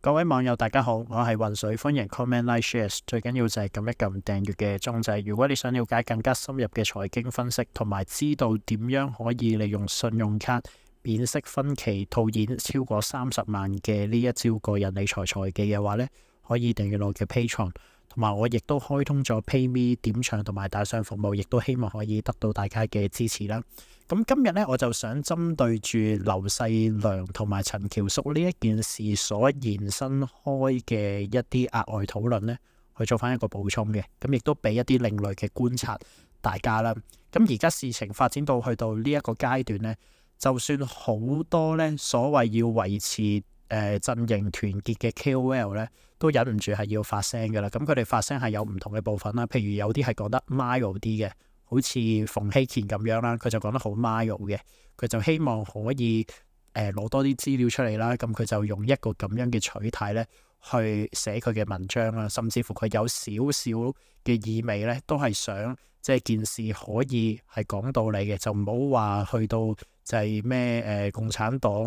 各位網友大家好，我係渾水，歡迎 comment like shares，最緊要就係撳一撳訂閱嘅鐘掣。如果你想了解更加深入嘅財經分析，同埋知道點樣可以利用信用卡免息分期套現超過30萬嘅呢一招個人理財財技嘅話呢，可以訂閱我嘅 Patreon，同埋我亦都開通咗 PayMe 點唱同埋打賞服務，亦都希望可以得到大家嘅支持啦。咁今日呢，我就想針對住劉細良同埋陳橋叔呢一件事所延伸開嘅一啲額外討論呢，去做翻一個補充嘅，咁亦都俾一啲另類嘅觀察大家啦。咁而家事情發展到去到呢一個階段呢，就算好多呢所謂要維持陣營團結嘅 KOL 呢，都忍唔住係要發聲㗎啦。咁佢哋發聲係有唔同嘅部分啦，譬如有啲係講得 mild 啲嘅。好似馮睎乾咁樣啦，佢就講得好 mild 嘅，佢就希望可以攞多啲資料出嚟啦，咁佢就用一個咁樣嘅取態咧去寫佢嘅文章啦，甚至乎佢有少少嘅意味咧，都係想即係件事可以係講道理嘅，就唔好話去到就係咩共產黨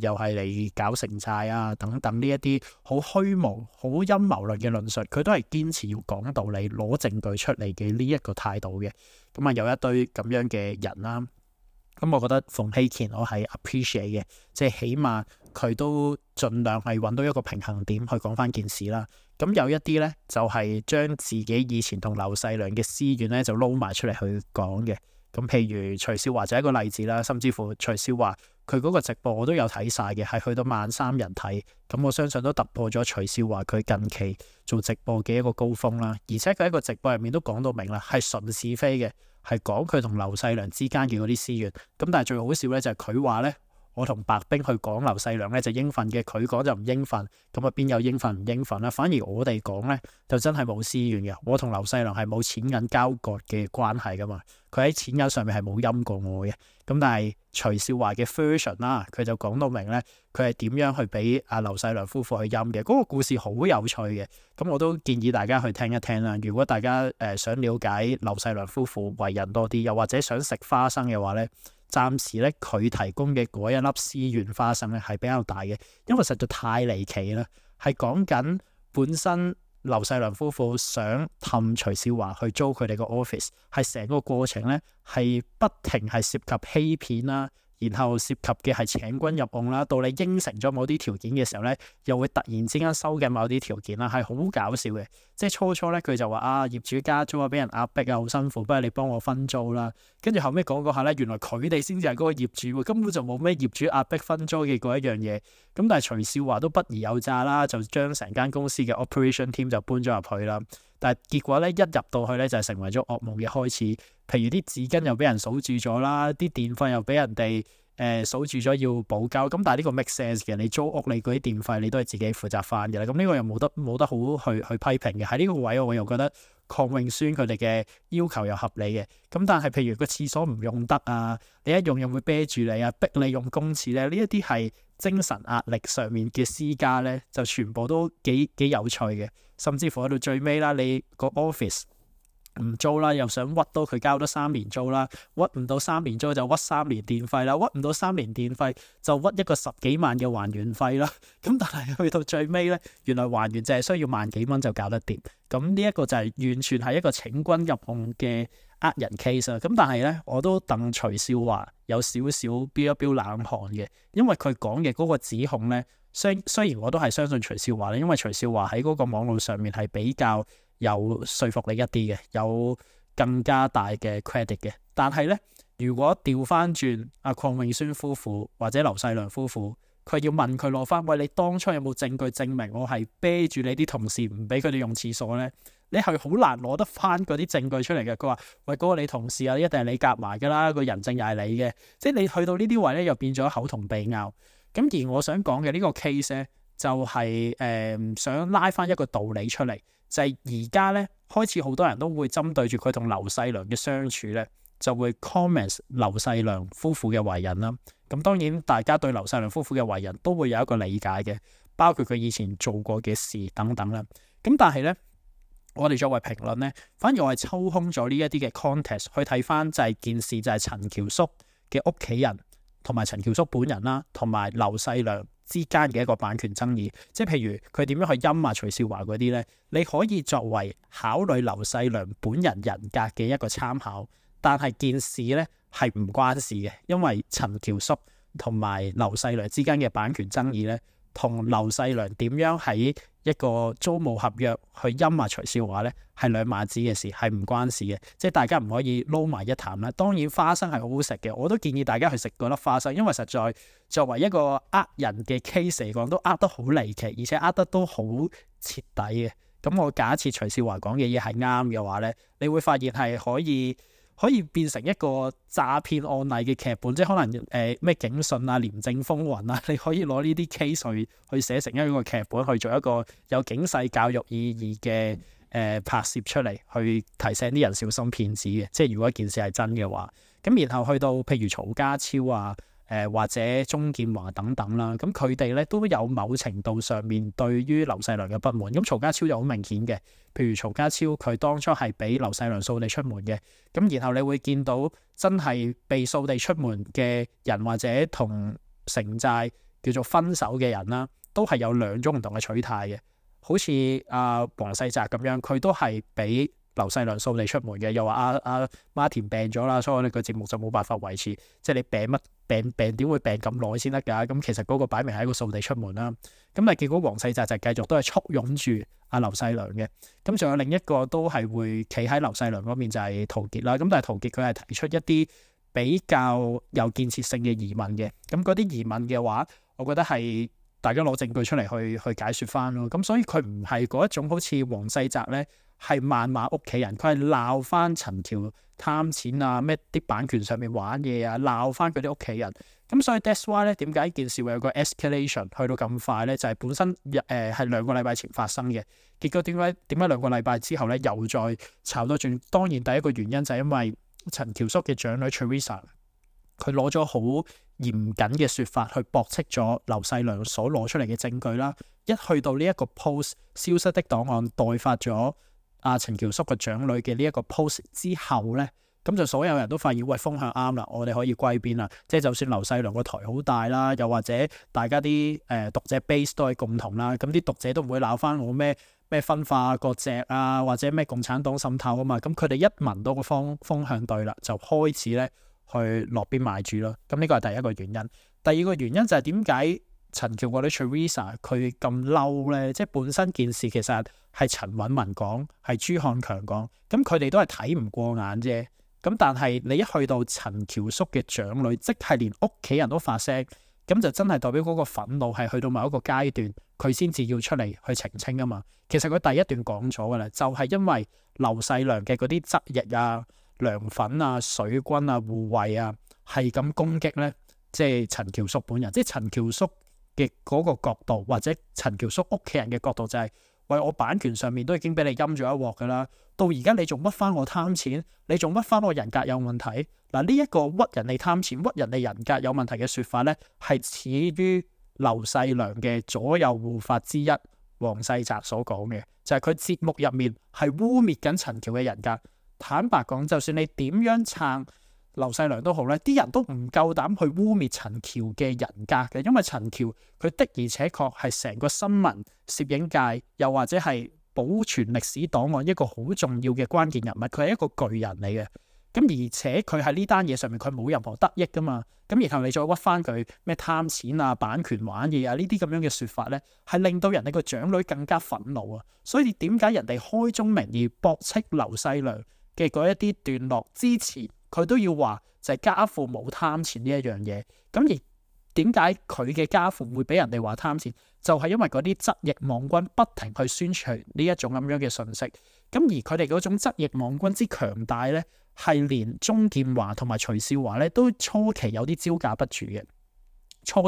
又係嚟搞城寨啊等等呢一啲好虛無、好陰謀論嘅論述，佢都係堅持要講道理、攞證據出嚟嘅呢一個態度嘅。咁啊有一堆咁樣嘅人啦，咁我覺得馮睎乾我係 appreciate 嘅，即係起碼佢都盡量係揾到一個平衡點去講翻件事啦。咁有一啲呢，就係將自己以前同劉細良嘅私怨呢，就撈埋出嚟去講嘅。咁譬如徐少華就係一個例子啦，甚至乎徐少華佢嗰個直播我都有睇晒嘅，係去到13000人睇，咁我相信都突破咗徐少華佢近期做直播嘅一個高峰啦。而且佢喺個直播入面都講到明啦，係純是非嘅，係講佢同劉細良之間嘅嗰啲私怨。咁但係最好笑咧就係佢話咧，我同白兵去講劉細良咧就應份嘅，佢講就唔應份，咁啊邊有應份唔應份啦？反而我哋講咧就真係冇私怨嘅，我同劉細良係冇錢銀交割嘅關係噶嘛，佢喺錢銀上面係冇陰過我嘅。咁但係徐少華嘅 version 啦，佢就講到明咧，佢係點樣去俾阿劉細良夫婦去陰嘅，嗰個故事好有趣嘅。咁我都建議大家去聽一聽啦。如果大家想了解劉細良夫婦為人多啲，又或者想食花生嘅話咧，暫時咧佢提供嘅嗰一粒思源花生咧係比較大嘅，因為實在太離奇啦，係講緊本身劉細良夫婦想氹徐少華去租佢哋個 office， 係成個過程咧係不停係涉及欺騙啦，然後涉及嘅係請君入甕啦，到你應承咗某啲條件嘅時候咧，又會突然之間收緊某啲條件啦，係好搞笑嘅。即係初咧佢就話業主加租啊，俾人壓迫啊，好辛苦，不如你幫我分租啦。跟住後尾講下咧，原來佢哋先至係嗰個業主，根本就冇咩業主壓迫分租嘅嗰一樣嘢。咁但係徐少華都不疑有詐啦，就將成間公司嘅 operation team 就搬咗入去啦。但係結果咧一入到去咧就成為咗噩夢嘅開始。譬如啲紙巾又俾人數住咗啦，啲電費又俾人哋數住咗要補交。咁但係呢個 make sense 嘅，你租屋你嗰啲電費你都係自己負責翻嘅啦。咁呢個又冇得好去批評嘅。喺呢個位我又覺得鄺永宣佢哋嘅要求又合理嘅。咁但係譬如個廁所唔用得啊，你一用又會啤住你啊，逼你用公廁咧，呢一啲係精神壓力上面嘅施加咧，就全部都幾有趣嘅。甚至乎去到最尾啦，你個 office唔租啦，又想屈到佢交多3年租啦，屈唔到3年租就屈3年電費啦，屈唔到3年電費就屈一個10幾萬嘅還原費啦。咁但係去到最尾咧，原來還原就係需要萬幾蚊就搞得掂。咁呢一個就係完全係一個請君入甕嘅呃人 case 啊。咁但係咧，我都戥徐少華有少少飆一飆冷汗嘅，因為佢講嘅嗰個指控咧，雖然我都係相信徐少華咧，因為徐少華喺嗰個網絡上面係比較有說服力一啲嘅，有更加大嘅 credit 嘅。但係咧，如果調翻轉阿鄺永宣夫婦或者劉細良夫婦，佢要問佢攞翻，喂，你當初有冇證據證明我係啤住你啲同事唔俾佢哋用廁所咧？你係好難攞得翻嗰啲證據出嚟嘅。佢話，喂，嗰個你同事啊，一定係你夾埋噶啦，個人證又係你嘅。即係你去到呢啲位咧，又變咗口同鼻拗。咁而我想講嘅呢個 case 咧，就係想拉翻一個道理出嚟，就係而家咧開始好多人都會針對住佢同劉細良嘅相處咧，就會 comment 劉細良夫婦嘅為人啦。咁當然大家對劉細良夫婦嘅為人都會有一個理解嘅，包括佢以前做過嘅事等等啦。咁但係咧，我哋作為評論咧，反而我係抽空咗呢一啲嘅 context 去睇翻就係件事就係陳橋叔嘅屋企人同埋陳橋叔本人啦，同埋劉細良之間嘅一個版權爭議。即係譬如佢點樣去陰徐少華嗰啲呢？你可以作為考慮劉細良本人人格嘅一個參考，但係件事呢係唔關事嘅，因為陳橋叔同埋劉細良之間嘅版權爭議呢，同劉細良點樣喺一個租務合約去陰徐少華呢，係兩碼子嘅事，係唔關事嘅。即係大家唔可以撈埋一談啦。當然花生係好好食嘅，我都建議大家去食嗰粒花生，因為實在作為一個人嘅 case 嚟講，都得好離奇，而且得都好徹底嘅。咁我假設徐少華講嘅嘢係啱嘅話呢，你會發現係可以變成一個詐騙案例嘅劇本，即係可能咩警訊啊、廉政風雲啊，你可以攞呢啲 case 去寫成一個劇本，去做一個有警示教育意義嘅拍攝出嚟，去提醒啲人小心騙子嘅。即係如果件事係真嘅話，咁然後去到譬如曹家超啊。或者鍾建華等等啦，咁佢哋咧都有某程度上面對於劉細良嘅不滿。咁曹家超就好明顯嘅，譬如曹家超佢當初係俾劉細良掃地出門嘅，咁然後你會見到真係被掃地出門嘅人或者同城寨叫做分手嘅人啦，都係有兩種唔同嘅取態嘅。好似黃世澤咁樣，佢都係俾劉細良掃地出門嘅，又話阿馬田病咗啦，所以我哋個節目就冇辦法維持。即係你病乜？病點會病咁耐先得㗎？咁其實嗰個擺明係一個掃地出門啦。咁但係結果黃世澤就繼續都係簇擁住阿劉細良嘅。咁仲有另一個都係會企喺劉細良嗰邊就係陶傑啦。咁但係陶傑佢係提出一啲比較有建設性嘅疑問嘅。咁嗰啲疑問嘅話，我覺得係大家攞證據出嚟去解説翻咯。咁所以佢唔係嗰一種好似黃世澤咧係謾罵屋企人，佢係鬧翻陳橋貪錢啊，咩啲版權上面玩嘢啊，鬧翻佢啲屋企人。咁所以 that's why 咧，點解件事會有個 escalation 去到咁快咧？就係本身係2個禮拜前發生嘅，結果點解2個禮拜之後咧又再炒多轉？當然第一個原因就係因為陳橋叔嘅長女 Teresa 佢攞咗好嚴謹嘅説法去駁斥咗劉細良所攞出嚟嘅證據啦。一去到呢一個 post 消失的檔案代發咗陳橋叔個長女嘅呢一個 post 之後咧，咁就所有人都發現，喂，風向啱啦，我哋可以歸邊啦。即係就算劉細良個台好大啦，又或者大家啲讀者 base 都係共同啦，咁啲讀者都唔會鬧翻我咩分化割席啊，或者咩共產黨滲透啊嘛。咁佢哋一聞到個風向對啦，就開始咧去落邊買住咯。咁呢個係第一個原因。第二個原因就係點解陳橋個女 Teresa 佢咁嬲咧？即係本身件事其實係陳韻文講，係朱漢強講，咁佢哋都係睇唔過眼啫。咁但係你一去到陳橋叔嘅長女，即係連屋企人都發聲，咁就真係代表嗰個憤怒係去到某一個階段，佢先至要出嚟去澄清啊嘛。其實佢第一段講咗噶啦，就係因為劉細良嘅嗰啲側翼啊、涼粉啊、水軍啊、護衛啊，係咁攻擊咧，即係陳橋叔本人，即係陳橋叔嘅嗰個角度，或者陳橋叔屋企人嘅角度就係，喂，我版權上面都已經俾你陰咗一鑊噶啦，到而家你仲屈翻我貪錢，你仲屈翻我人格有問題。嗱，呢一個屈人哋貪錢、屈人哋人格有問題嘅說法咧，係始於劉細良嘅左右護法之一黃世澤所講嘅，就係佢節目入面係污衊緊陳橋嘅人格。坦白講，就算你點樣撐劉細良都好咧，啲人都唔夠膽去污衊陳橋嘅人格嘅，因為陳橋佢的而且確係成個新聞攝影界，又或者係保存歷史檔案一個好重要嘅關鍵人物，佢係一個巨人嚟嘅。咁而且佢喺呢單嘢上面佢冇任何得益噶嘛，咁然後你再屈翻佢咩貪錢啊、版權玩嘢啊呢啲咁樣嘅說法咧，係令到人哋個長女更加憤怒啊。所以點解人哋開宗明義駁斥劉細良嘅嗰一啲段落之前，佢都要話就係家父冇貪錢呢一樣嘢。咁而點解佢嘅家父會俾人哋話貪錢？就係因為嗰啲側翼網軍不停去宣傳呢一種咁樣嘅信息。咁而佢哋嗰種側翼網軍之強大咧，係連鍾建華同埋徐少華咧都初期有啲招架不住嘅。初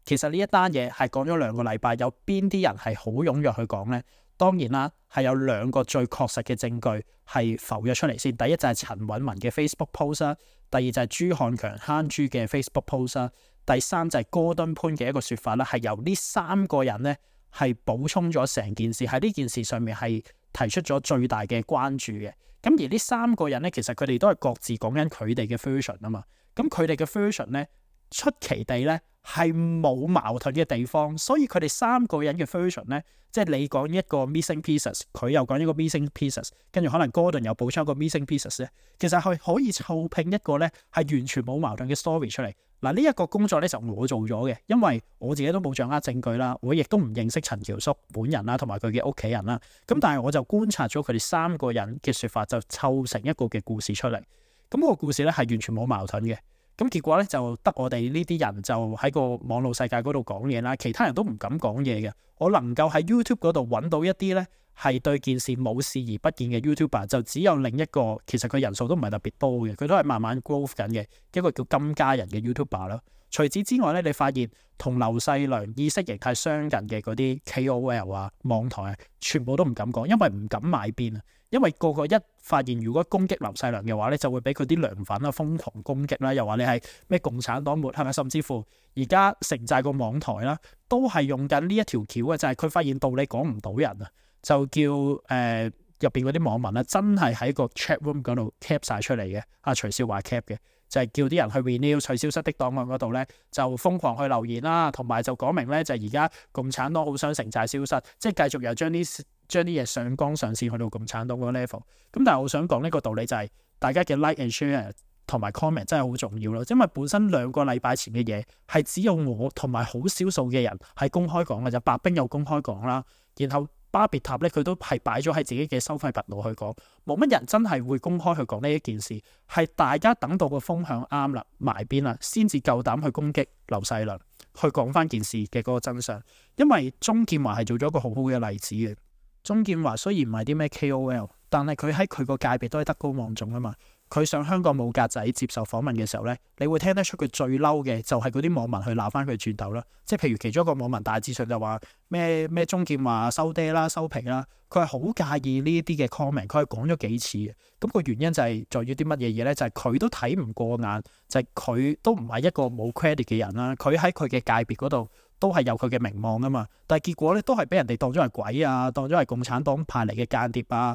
其實呢一單嘢係講咗2個禮拜，有邊啲人係好踴躍去講呢？當然啦，係有2個最確實嘅證據係浮咗出嚟先。第一就係陳韻文嘅 Facebook post 啦，第二就係朱漢強慳豬嘅 Facebook post 啦，第三就係哥敦潘嘅一個說法啦，係由呢3個人咧係補充咗成件事，喺呢件事上面係提出咗最大嘅關注嘅。咁而呢3個人咧，其實佢哋都係各自講緊佢哋嘅 version 啊嘛。咁佢哋嘅 version 咧，出奇地咧係冇矛盾嘅地方，所以佢哋三個人嘅 version 咧，即係你講一個 missing pieces， 佢又講一個 missing pieces， 跟住可能 Gordon 又補充一個 missing pieces 咧，其實係可以湊拼一個咧係完全冇矛盾嘅 story 出嚟。嗱，呢一個工作咧就我做咗嘅，因為我自己都冇掌握證據啦，我亦都唔認識陳橋叔本人啦，同埋佢嘅屋企人啦。咁但係我就觀察咗佢哋三個人嘅説法，就湊成一個嘅故事出嚟。咁個故事咧係完全冇矛盾嘅。咁結果咧就得我哋呢啲人就喺個網絡世界嗰度講嘢啦，其他人都唔敢講嘢嘅。我能夠喺 YouTube 嗰度揾到一啲咧係對件事冇視而不見嘅 YouTuber， 就只有另一個，其實佢人數都唔係特別多嘅，佢都係慢慢 growth 緊嘅一個叫金家人嘅 YouTuber 啦。除此之外咧，你發現同劉細良意識形態相近嘅嗰啲 KOL 啊、網台啊，全部都唔敢講，因為唔敢買邊啊。因為個個一發現如果攻擊劉細良嘅話咧，就會俾佢啲梁粉啊瘋狂攻擊啦，又話你係咩共產黨末，係咪？甚至乎而家城寨個網台啦，都係用緊呢一條橋嘅，就係佢發現道理講唔到人啊，就叫入邊嗰啲網民啊，真係喺個 chat room 嗰度 cap 晒出嚟嘅。阿徐少華 cap 嘅，就係叫啲人去 renew 取消失的檔案嗰度咧，就瘋狂去留言啦，同埋就講明咧就係而家共產黨好想城寨消失，即係繼續又將啲嘢上綱上線去到共產黨嗰個 level。咁但係我想講呢個道理就係大家嘅 like and share 同埋 comment 真係好重要咯，因為本身2個禮拜前嘅嘢係只有我同埋好少數嘅人係公開講嘅，就白兵又公開講啦，然後巴別塔咧佢都係擺咗喺自己嘅收費頻道去講，冇乜人真係會公開去講呢一件事，係大家等到個風向啱啦埋邊啦，先至夠膽去攻擊劉細良，去講翻件事嘅嗰個真相。因為鍾建華係做咗一個好好嘅例子嘅。鍾建華雖然唔係啲咩 KOL， 但係佢喺佢個界別都係德高望重啊嘛。佢上香港冇格仔接受訪問嘅時候咧，你會聽得出佢最嬲嘅就係嗰啲網民去鬧翻佢轉頭啦。即係譬如其中一個網民大致上就話咩鍾建華收爹啦、收皮啦，佢係好介意呢啲嘅 comment， 佢係講咗幾次嘅。咁個原因就係在於啲乜嘢嘢咧？就係佢都睇唔過眼，就係佢都唔係一個冇 credit 嘅人啦。佢喺佢嘅界別嗰度都係有佢嘅名望啊嘛。但係結果咧都係俾人哋當咗係鬼啊，當咗係共產黨派嚟嘅間諜啊，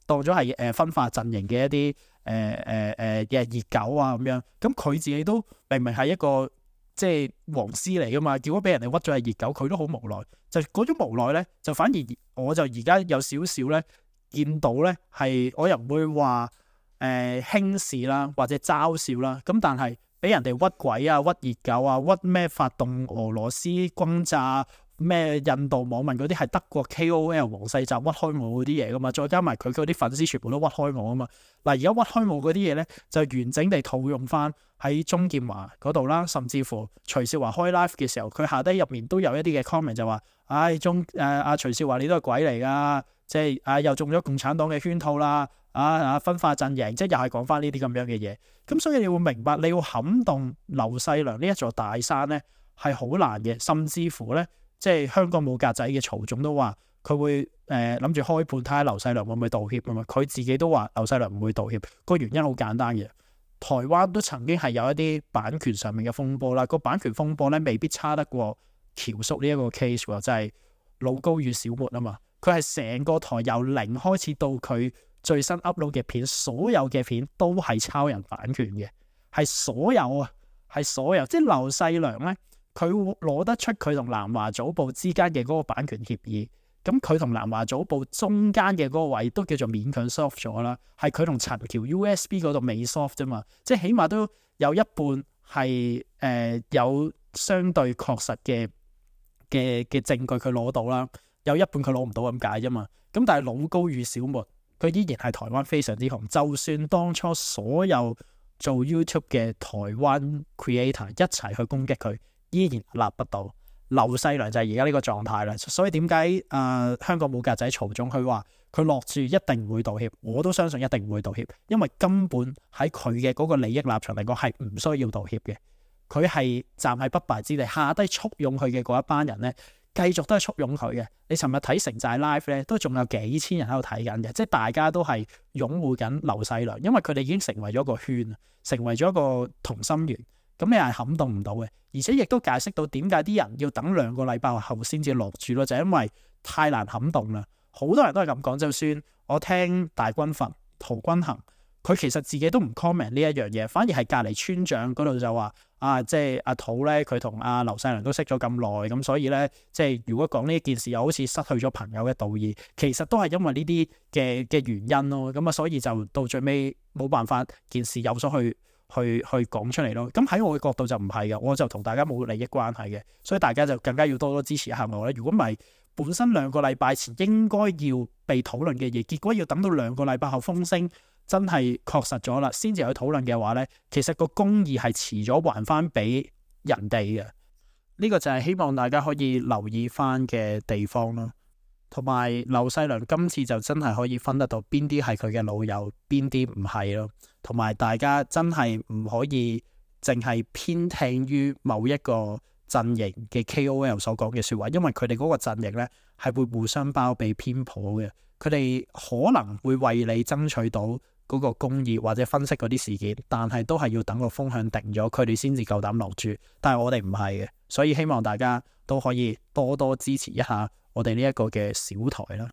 當咗係分化陣營嘅一啲嘅熱狗啊咁樣。咁佢自己都明明係一個即係黃絲嚟噶嘛，結果俾人哋屈咗係熱狗，佢都好無奈。就嗰種無奈咧，就反而我就而家有少少咧見到咧係我又唔會話輕視啦或者嘲笑啦，咁但係俾人哋屈鬼啊、屈熱狗啊、屈咩發動俄羅斯轟炸咩印度網民嗰啲係德國 KOL 黃世澤屈開我嗰啲嘢噶嘛，再加埋佢嗰啲粉絲全部都屈開我啊嘛。嗱，而家屈開我嗰啲嘢咧就完整地套用翻喺鍾建華嗰度啦，甚至乎徐少華開 live 嘅時候，佢下低入面都有一啲嘅 comment 就話：唉，徐少華你都係鬼嚟噶，即係又中咗共產黨嘅圈套啦，分化陣營，即係又係講翻呢啲咁樣嘅嘢。咁所以你會明白，你要撼動劉細良呢一座大山咧係好難嘅，甚至乎咧。即係香港冇格仔嘅曹總都話佢會諗住開判睇下劉細良會唔會道歉啊嘛，佢自己都話劉細良唔會道歉，個原因好簡單嘅，台灣都曾經係有一啲版權上面嘅風波啦，個版權風波咧未必差得過橋叔呢一個 case 喎，就係老高與小沫啊嘛，佢係成個台由零開始到佢最新 upload 嘅片，所有嘅片都係抄人版權嘅，係所有啊，係所有，即係劉細良咧。佢攞得出佢同南華早報之間嘅嗰個版權協議，咁佢同南華早報中間嘅嗰個位都叫做勉強 soft 咗啦，係佢同陳橋 USB 嗰度未 soft 啫嘛，即係起碼都有一半係有相對確實嘅證據佢攞到啦，有一半佢攞唔到咁解啫嘛。咁但係老高與小沫，佢依然係台灣非常之紅，就算當初所有做 YouTube 嘅台灣 creator 一齊去攻擊佢，依然立不到。劉細良就係而家呢個狀態啦，所以點解香港冇格仔曹總佢話佢落注一定唔會道歉，我都相信一定唔會道歉，因為根本喺佢嘅嗰個利益立場嚟講係唔需要道歉嘅，佢係站喺不敗之地，下低簇擁佢嘅嗰一班人咧，繼續都係簇擁佢嘅。你尋日睇城寨 live 咧，都仲有幾千人喺度睇緊嘅，即係大家都係擁護緊劉細良，因為佢哋已經成為咗個圈，成為咗一個同心圓。咁你係撼動唔到嘅，而且亦都解釋到點解啲人要等2個禮拜後先至落注咯，就係因為太難撼動啦。好多人都係咁講，就算我聽大軍閥陶君行，佢其實自己都唔 comment 呢一樣嘢，反而係隔離村長嗰度就話即係阿土咧，佢同阿劉細良都識咗咁耐，咁所以咧，即係如果講呢件事又好似失去咗朋友嘅道義，其實都係因為呢啲嘅原因咯。咁啊，所以就到最尾冇辦法，件事有所去講出嚟咯。咁喺我嘅角度就唔係嘅，我就同大家冇利益關係嘅，所以大家就更加要多多支持下我咧。如果唔係，本身2個禮拜前應該要被討論嘅嘢，結果要等到2個禮拜後風聲真係確實咗啦，先至去討論嘅話呢，其實個公義係遲咗還翻俾人哋嘅。呢個就係希望大家可以留意翻嘅地方咯。同埋劉細良今次就真係可以分得到邊啲係佢嘅老友，邊啲唔係咯。同埋大家真係唔可以淨係偏聽於某一個陣營嘅 KOL 所講嘅說話，因為佢哋嗰個陣營呢係會互相包庇偏頗嘅，佢哋可能會為你爭取到嗰個公義或者分析嗰啲事件，但係都係要等個風向定咗，佢哋先至夠膽落注。但係我哋唔係嘅，所以希望大家都可以多多支持一下我哋呢一個嘅小台啦。